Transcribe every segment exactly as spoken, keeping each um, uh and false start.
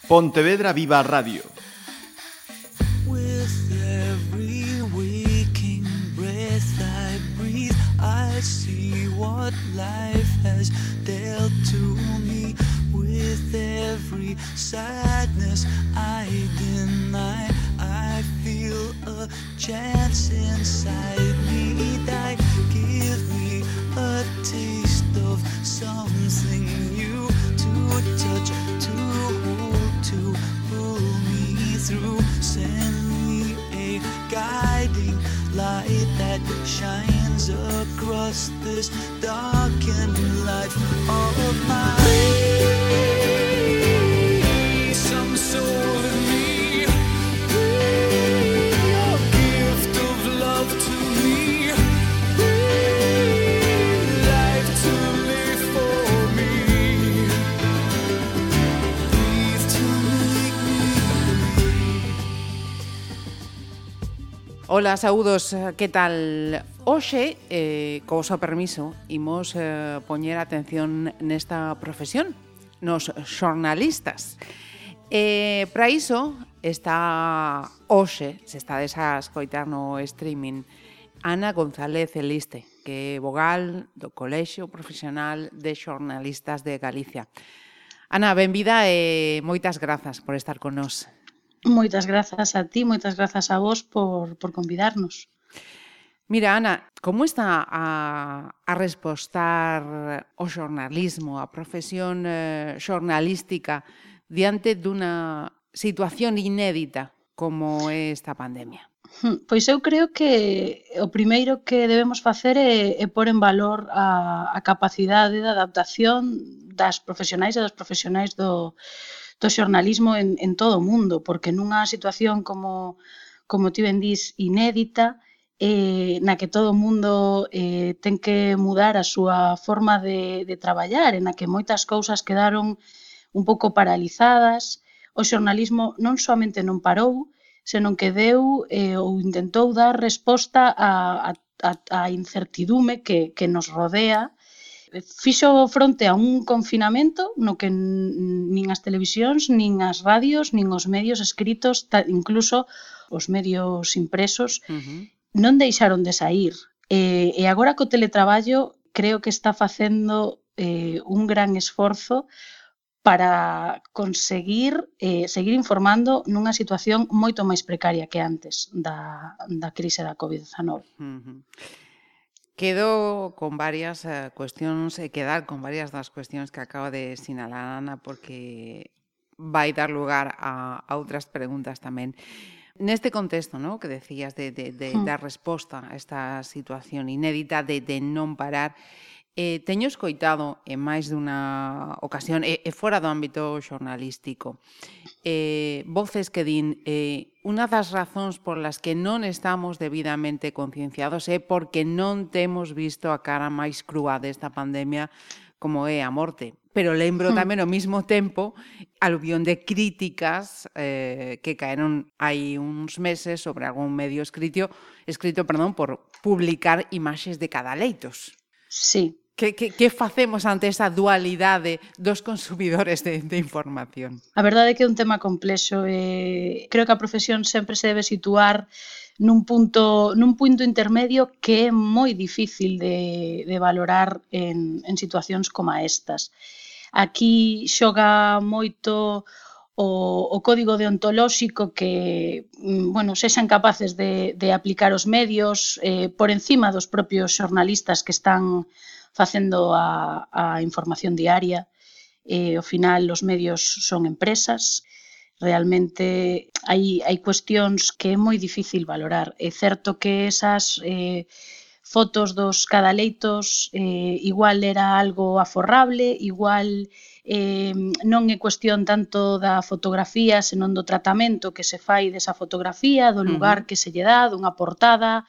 Pontevedra Viva Radio. With every waking breath I breathe, I see what life has dealt to me. With every sadness I deny, I feel a chance inside me that give me a taste of something new to touch, to hold, to pull me through. Send me a guiding light that shines across this darkened life of mine. Some soul in me, a gift of love to me, life to live for me, breathe to make me breathe. Ola, saúdos, que tal? Hoxe, eh, co voso permiso, imos eh, poñer atención nesta profesión, nos xornalistas. Eh, para iso está hoxe, se estades a escoitar no streaming, Ana González Eliste, que é vogal do Colexio Profesional de Xornalistas de Galicia. Ana, benvida e moitas grazas por estar con nós. Moitas grazas a ti, moitas grazas a vos por, por convidarnos. Mira, Ana, como está a, a respostar o xornalismo, a profesión eh, xornalística diante dunha situación inédita como é esta pandemia? Pois eu creo que o primeiro que debemos facer é, é pôr en valor a, a capacidade de adaptación das profesionais e dos profesionais do, do xornalismo en, en todo o mundo, porque nunha situación como, como ti ben dís, inédita, eh, na que todo o mundo eh, ten que mudar a súa forma de, de traballar, en na que moitas cousas quedaron un pouco paralizadas, o xornalismo non somente non parou, senón que deu eh, ou intentou dar resposta a, a, a incertidume que, que nos rodea. Fixo fronte a un confinamento no que nin as televisións, nin as radios, nin os medios escritos, incluso os medios impresos, uh-huh. non deixaron de sair. E, e agora co teletraballo creo que está facendo eh, un gran esforzo para conseguir eh, seguir informando nunha situación moito máis precaria que antes da, da crise da covid dezanove. Uh-huh. Quedo con varias uh, cuestións e quedar con varias das cuestións que acaba de sinalar Ana, porque vai dar lugar a, a outras preguntas tamén. Neste contexto, ¿no?, que decías de, de, de mm. dar resposta a esta situación inédita de, de non parar, eh, teño escoitado en máis dunha ocasión, e, e fora do ámbito xornalístico, eh, voces que din eh, unha das razóns por las que non estamos debidamente concienciados é porque non temos visto a cara máis crúa desta pandemia como é a morte. Pero lembro tamén ao mesmo tempo aluvión de críticas eh, que caeron hai uns meses sobre algún medio escrito, escrito perdón, por publicar imaxes de cadaleitos. Sí. Que, que, que facemos ante esa dualidade dos consumidores de, de información? A verdade é que é un tema complexo. Eh, creo que a profesión sempre se debe situar nun punto, nun punto intermedio que é moi difícil de, de valorar en, en situacións como estas. Aquí xoga moito o, o código deontolóxico que, bueno, sexan capaces de, de aplicar os medios eh, por encima dos propios xornalistas que están facendo a, a información diaria. Eh, ao final, os medios son empresas. Realmente hai, hai cuestións que é moi difícil valorar. É certo que esas eh, fotos dos cadaleitos eh, igual era algo aforrable, igual eh, non é cuestión tanto da fotografía, senón do tratamento que se fai desa fotografía, do lugar uh-huh. que se lle dá, dunha portada,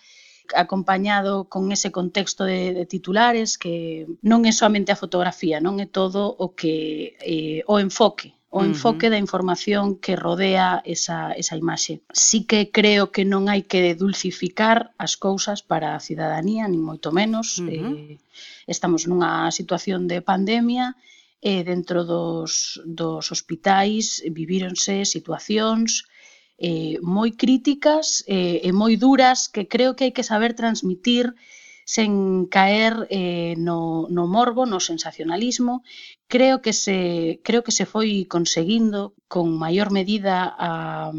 acompañado con ese contexto de, de titulares, que non é somente a fotografía, non é todo o que eh, o enfoque o enfoque uh-huh. da información que rodea esa, esa imaxe. Sí que creo que non hai que dulcificar as cousas para a cidadanía, nin moito menos. Uh-huh. Eh, estamos nunha situación de pandemia e dentro dos, dos hospitais vivíronse situacións eh, moi críticas eh, e moi duras que creo que hai que saber transmitir sen caer eh, no, no morbo, no sensacionalismo. Creo que se, creo que se foi conseguindo con maior medida a,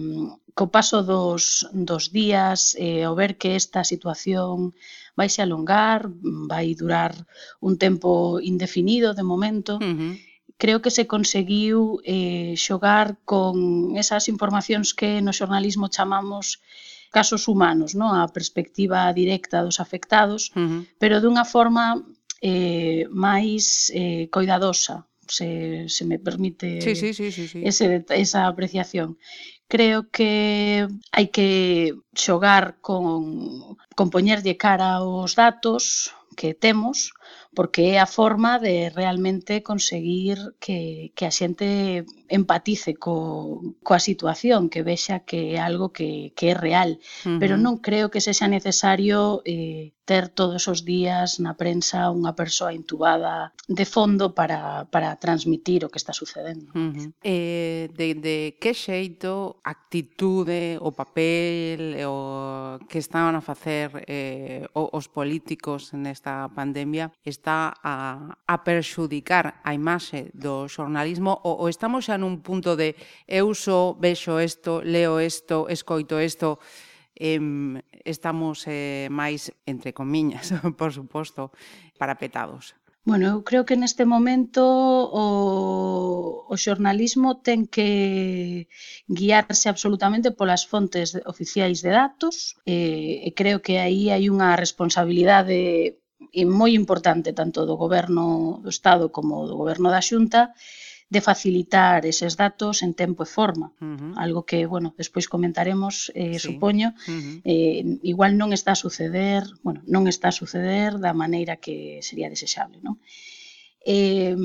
co paso dos, dos días eh, ao ver que esta situación vai se alongar, vai durar un tempo indefinido de momento. Uh-huh. Creo que se conseguiu eh, xogar con esas informacións que no xornalismo chamamos casos humanos, non? A perspectiva directa dos afectados, Uh-huh. pero dunha forma eh, máis eh, coidadosa, se, se me permite Sí, sí, sí, sí, sí. ese, esa apreciación. Creo que hai que xogar con, con poñerlle cara aos datos que temos, porque é a forma de realmente conseguir que, que a xente empatice co, coa situación, que vexa que é algo que, que é real. Uh-huh. Pero non creo que sexa necesario eh, ter todos os días na prensa unha persoa intubada de fondo para, para transmitir o que está sucedendo. Uh-huh. Eh, de, de que xeito, actitude, o papel o que estaban a facer eh, os políticos nesta pandemia está a, a perxudicar a imaxe do xornalismo ou, ou estamos xa nun punto de eu só vexo isto, leo isto, escoito isto, eh, estamos eh, máis, entre comiñas, por suposto, parapetados? Bueno, eu creo que neste momento o, o xornalismo ten que guiarse absolutamente polas fontes oficiais de datos e, e creo que aí hai unha responsabilidade moi importante tanto do Goberno do Estado como do Goberno da Xunta de facilitar eses datos en tempo e forma. Uh-huh. Algo que, bueno, despois comentaremos, eh, Sí. supoño, Uh-huh. eh, igual non está a suceder, bueno, non está a suceder da maneira que sería desexable, non? Eh,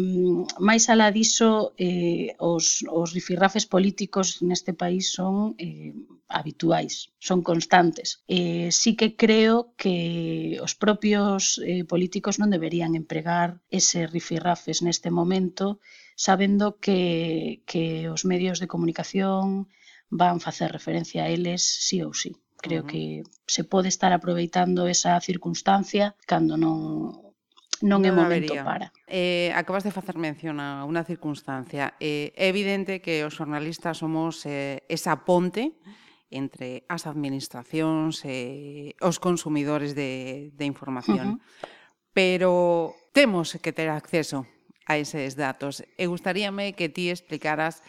máis alá diso, eh, os, os rifirrafes políticos neste país son eh, habituais, son constantes. Eh, sí que creo que os propios eh, políticos non deberían empregar ese rifirrafes neste momento, sabendo que, que os medios de comunicación van facer referencia a eles sí ou sí. Creo Uh-huh. que se pode estar aproveitando esa circunstancia cando non non é Non momento habería. para. Eh, acabas de facer mención a unha circunstancia. Eh, é evidente que os xornalistas somos eh, esa ponte entre as administracións e os consumidores de, de información. Uh-huh. Pero temos que ter acceso a eses datos. E gustaríame que ti explicaras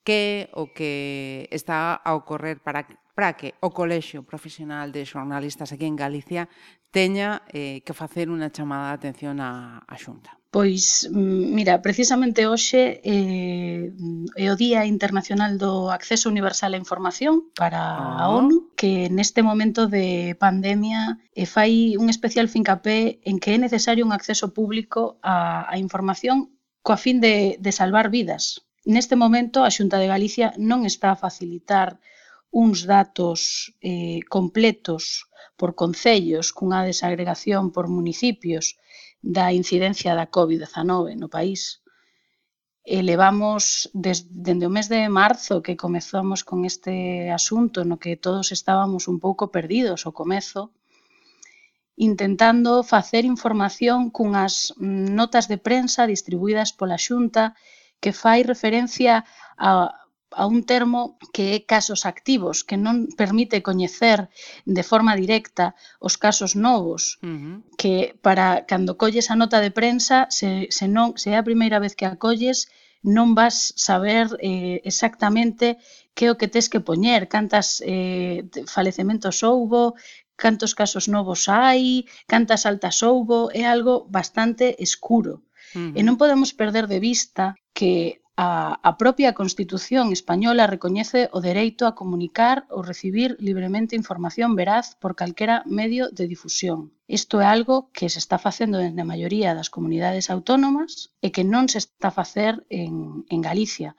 que o que está a ocorrer para, para que o Colexio Profesional de Xornalistas aquí en Galicia teña eh, que facer unha chamada de atención á, á Xunta. Pois, mira, precisamente hoxe eh, é o Día Internacional do Acceso Universal á Información para a Oh. ONU, que neste momento de pandemia eh, fai un especial fincapé en que é necesario un acceso público á, á información coa fin de, de salvar vidas. Neste momento, a Xunta de Galicia non está a facilitar uns datos eh, completos por concellos cunha desagregación por municipios da incidencia da covid dezanove no país. E levamos des, dende o mes de marzo que comezamos con este asunto no que todos estábamos un pouco perdidos ao comezo, intentando facer información cunhas notas de prensa distribuídas pola Xunta que fai referencia a a un termo que é casos activos, que non permite coñecer de forma directa os casos novos, Uh-huh. que para cando colles a nota de prensa, se, se, non, se é a primeira vez que a colles, non vas saber eh, exactamente que é o que tes que poñer, cantas eh, falecementos houbo, cantos casos novos hai, cantas altas houbo, é algo bastante escuro. Uh-huh. E non podemos perder de vista que a, a propia Constitución española recoñece o dereito a comunicar ou recibir libremente información veraz por calquera medio de difusión. Isto é algo que se está facendo na maioría das comunidades autónomas e que non se está a facer en, en Galicia,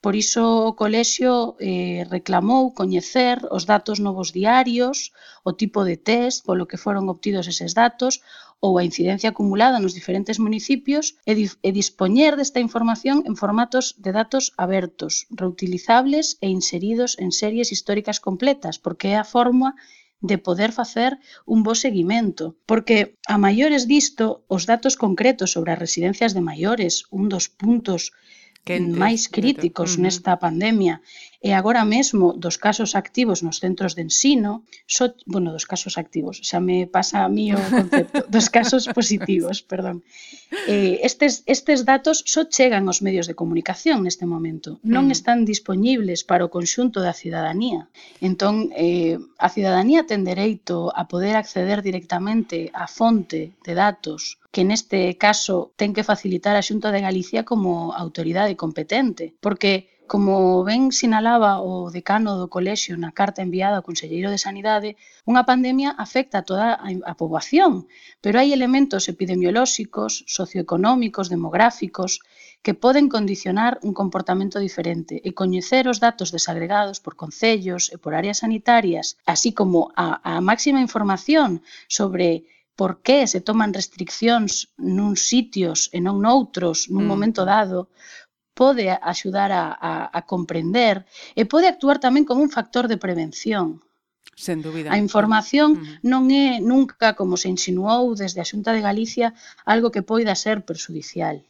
Por iso o colexio eh, reclamou coñecer os datos novos diarios, o tipo de test polo que foron obtidos eses datos ou a incidencia acumulada nos diferentes municipios e, di e dispoñer desta información en formatos de datos abertos, reutilizables e inseridos en series históricas completas, porque é a forma de poder facer un bo seguimento. Porque a maiores disto, os datos concretos sobre as residencias de maiores, un dos puntos Quentes, máis críticos uh-huh. nesta pandemia e agora mesmo dos casos activos nos centros de ensino, so, bueno, dos casos activos, xa me pasa a mí o concepto, dos casos positivos, perdón. Eh, estes, estes datos só chegan aos medios de comunicación neste momento, non Uh-huh. están dispoñibles para o conxunto da cidadanía. Entón, eh, a cidadanía ten dereito a poder acceder directamente á fonte de datos que neste caso ten que facilitar a Xunta de Galicia como autoridade competente, porque, como ben sinalaba o decano do colexio na carta enviada ao Conselleiro de Sanidade, unha pandemia afecta a toda a, a poboación, pero hai elementos epidemiolóxicos, socioeconómicos, demográficos, que poden condicionar un comportamento diferente e coñecer os datos desagregados por concellos e por áreas sanitarias, así como a, a máxima información sobre por que se toman restriccións nuns sitios e non noutros nun Mm. momento dado, pode axudar a, a, a comprender e pode actuar tamén como un factor de prevención. Sen dúbida. A información Mm. non é nunca, como se insinuou desde a Xunta de Galicia, algo que poida ser perxudicial.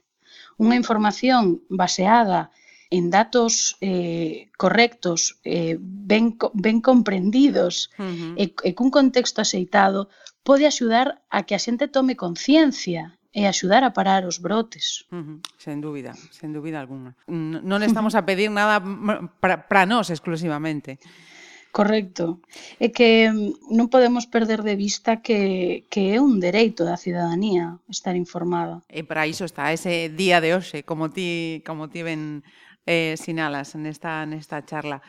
Unha información baseada en datos eh, correctos, eh, ben, co- ben comprendidos Uh-huh. e, e cun contexto axeitado pode axudar a que a xente tome conciencia e axudar a parar os brotes. Uh-huh. Sen dúbida, sen dúbida alguna. N- Non estamos a pedir nada para nós exclusivamente. Correcto. É que mm, non podemos perder de vista que, que é un dereito da cidadanía estar informada. E para iso está ese día de hoxe, como ti, como ti ben eh, sinalas nesta, nesta charla.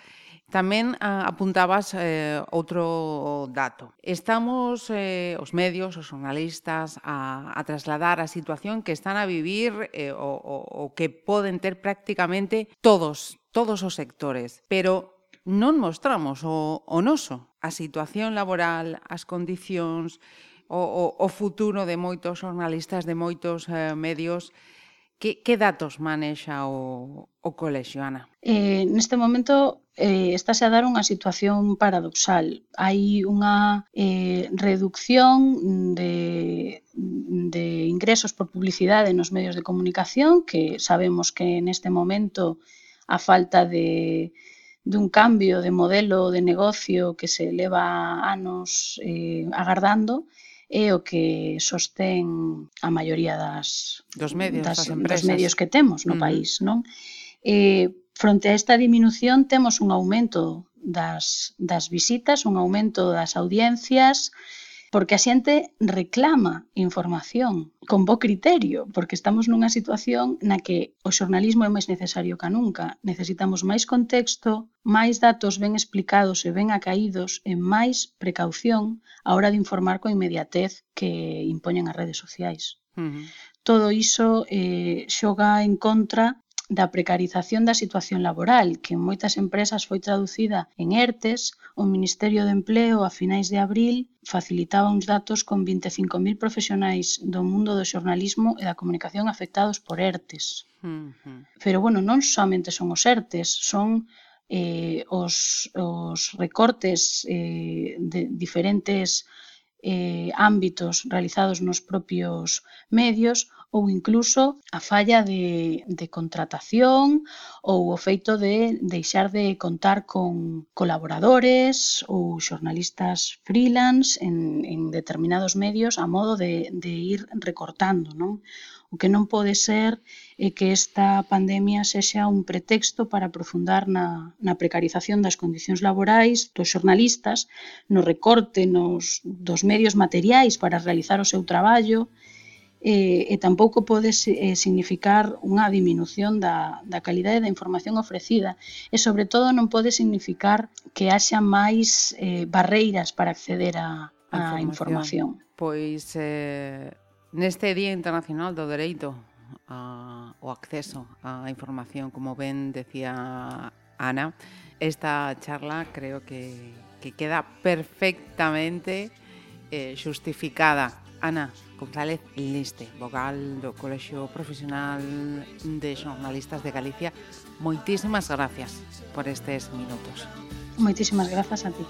Tamén ah, apuntabas eh, outro dato. Estamos, eh, os medios, os xornalistas, a, a trasladar a situación que están a vivir eh, o, o, o que poden ter prácticamente todos, todos os sectores. Pero non mostramos o, o noso, a situación laboral, as condicións, o, o, o futuro de moitos xornalistas, de moitos eh, medios. Que, que datos manexa o, o colexio, Ana? Eh, neste momento eh, estáse a dar unha situación paradoxal. Hai unha eh, reducción de, de ingresos por publicidade nos medios de comunicación, que sabemos que neste momento a falta de, de un cambio de modelo de negocio que se leva anos eh, agardando, é o que sostén a maioría das, Dos medios, das das, empresas. dos medios que temos no Uh-huh. país, non? Eh, fronte a esta diminución temos un aumento das, das visitas, un aumento das audiencias, porque a xente reclama información con bo criterio, porque estamos nunha situación na que o xornalismo é máis necesario que nunca. Necesitamos máis contexto, máis datos ben explicados e ben acaídos e máis precaución á hora de informar con inmediatez que impoñen as redes sociais. Uh-huh. Todo iso eh, xoga en contra da precarización da situación laboral, que en moitas empresas foi traducida en ERTES. O Ministerio de Empleo, a finais de abril, facilitaba uns datos con vinte e cinco mil profesionais do mundo do xornalismo e da comunicación afectados por ERTES. Uh-huh. Pero, bueno, non somente son os ERTES, son eh, os, os recortes eh, de diferentes eh, ámbitos realizados nos propios medios ou incluso a falla de, de contratación ou o feito de deixar de contar con colaboradores ou xornalistas freelance en, en determinados medios a modo de, de ir recortando, non? O que non pode ser é que esta pandemia sexa un pretexto para aprofundar na, na precarización das condicións laborais dos xornalistas, no recorte nos, dos medios materiais para realizar o seu traballo, e, e tampouco pode eh, significar unha diminución da, da calidade da información ofrecida e, sobre todo, non pode significar que haxa máis eh, barreiras para acceder á información. información. Pois, eh, neste Día Internacional do Dereito a, o acceso a información, como ben decía Ana. Esta charla creo que, que queda perfectamente eh, xustificada. Ana González Liste, vogal do Colexio Profesional de Xornalistas de Galicia, moitísimas gracias por estes minutos. Moitísimas grazas a ti.